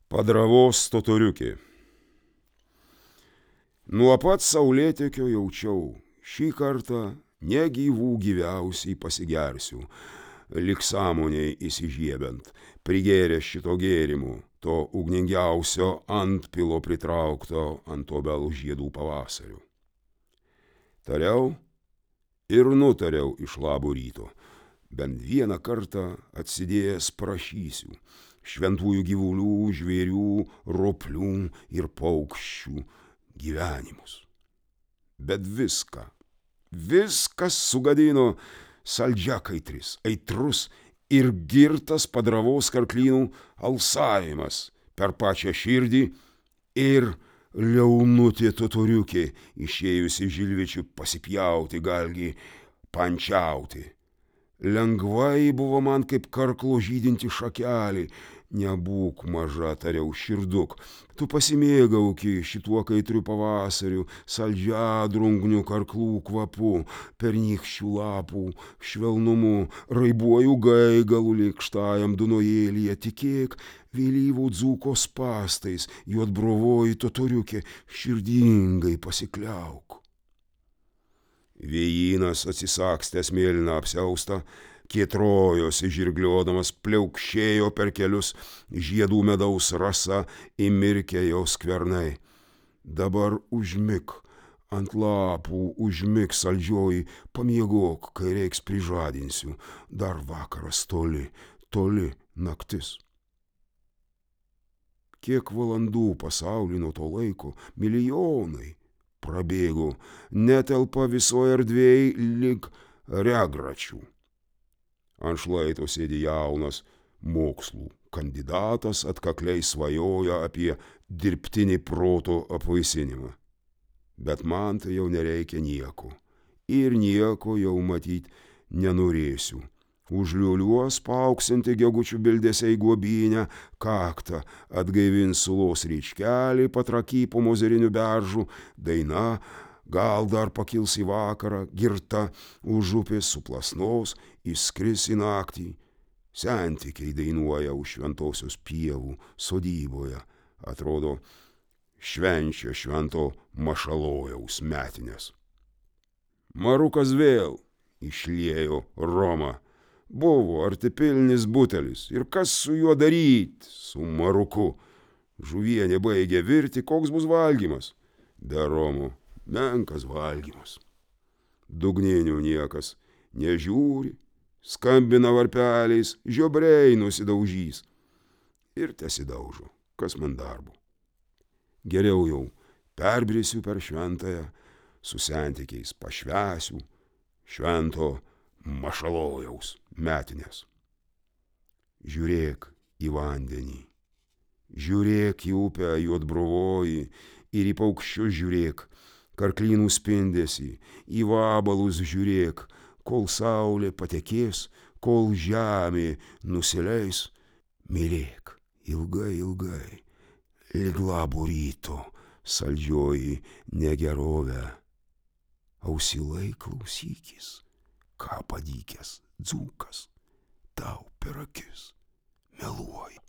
Padravos totoriukė. Nuo pat saulėtekio jaučiau, šį kartą negyvų gyviausiai pasigersiu, lik sąmonėj įsižiebent, prigėręs šito gėrimo, to ugningiausio antpilo pritraukto ant obelų žiedų pavasarių. Tariau ir nutariau iš labo ryto, bent vieną kartą atsidėjęs prašysiu šventųjų gyvulių, žvėrių, roplių ir paukščių gyvenimus. Bet viskas sugadino saldžiakaitris, aitrus ir girtas padravos karklynų alsavimas per pačią širdį ir liaunutė totoriukė, išėjusi žilvičių pasipjauti, galgi pančiauti. Lengvai buvo man kaip karklo žydinti šakelį. Nebūk maža, tariau, širduk, tu pasimėgauki šituo kaitriu pavasariu, saldžiadrungniu karklų kvapu, pernykščių lapų švelnumu, raibuoju gaigalu lėkštajam dunojėlyje, tikėk, vėlyvų dzūko spastais, juodbrovoji totoriukė, širdingai pasikliauk. Vėjinas atsisakstęs mėlyną apsiaustą, kietrojosi žirgliodamas, pliaukšėjo per kelius, žiedų medaus rasa įmirkė jo skvernai. Dabar užmik, ant lapų užmik saldžioji, pamiegok, kai reiks prižadinsiu, dar vakaras toli, toli naktis. Kiek valandų pasaulį nuo to laiko, milijonai prabėgo, netelpa visoje erdvėj lig regračių. Ant šlaito sėdi jaunas mokslų kandidatas, atkakliai svajoja apie dirbtinį proto apvaisinimą. Bet man tai jau nereikia nieko. Ir nieko jau matyt nenorėsiu. Užliuliuos paauksinti gegučių bildesiai guobynę, kaktą atgaivins sulos ryčkelį patraky po mozerinių beržų, daina gal dar pakils į vakarą, girta už upės suplasnos, įskris į naktį. Sentikiai dainuoja už šventosios pievų sodyboje, atrodo, švenčia švento Mašalojaus metines. Marukas vėl išliejo romą. Buvo artipilnis butelis, ir kas su juo daryt, su maruku? Žuvienė baigė virti, koks bus valgymas? Be romo menkas valgymas. Dugninių niekas nežiūri, skambina varpeliais, žiobriai nusidaužys. Ir tesidaužo, kas man darbo. Geriau jau perbrisiu per šventąją, su sentikiais pašvęsiu švento Mašalojaus metines. Žiūrėk į vandenį, žiūrėk į upę juodbrovoji ir į paukščius žiūrėk, karklynų spindesį, į vabalus žiūrėk, kol saulė patekės, kol žemė nusileis, mylėk ilgai, ilgai, lig labo ryto, saldžioji negerovė. Ausilai klausykis, ką padykęs dzūkas tau per akis meluoja.